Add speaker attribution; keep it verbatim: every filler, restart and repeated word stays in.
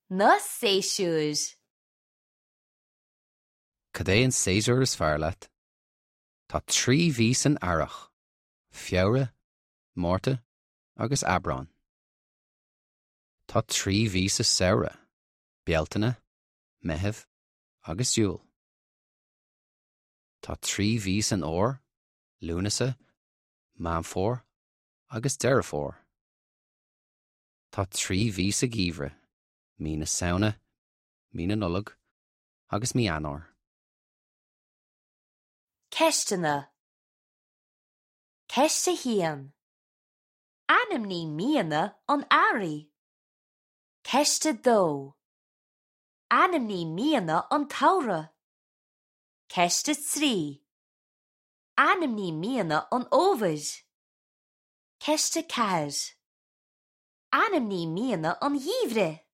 Speaker 1: Na séasúir.
Speaker 2: Cad é an séasúr is fearr leat? Tá trí mhí san earrach, Feabhra, Márta agus Aibreán. Tá trí mhí sa samhradh, Bealtaine, Meitheamh agus Iúil. Tá trí mhí san fhómhar, Lúnasa, Meán Fómhair agus Deireadh Fómhair. Tá trí mhí sa gheimhreadh, mí na Samhna, mí na Nollag agus mí Eanáir.
Speaker 1: Ceisteanna. Ceist a haon. Ainmnigh míonna an earraigh. Ceist a dó. Ainmnigh míonna an tsamhraidh. Ceist a trí. Ainmnigh míonna an fhómhair. Ceist a ceathair. Ainmnigh míonna an gheimhridh.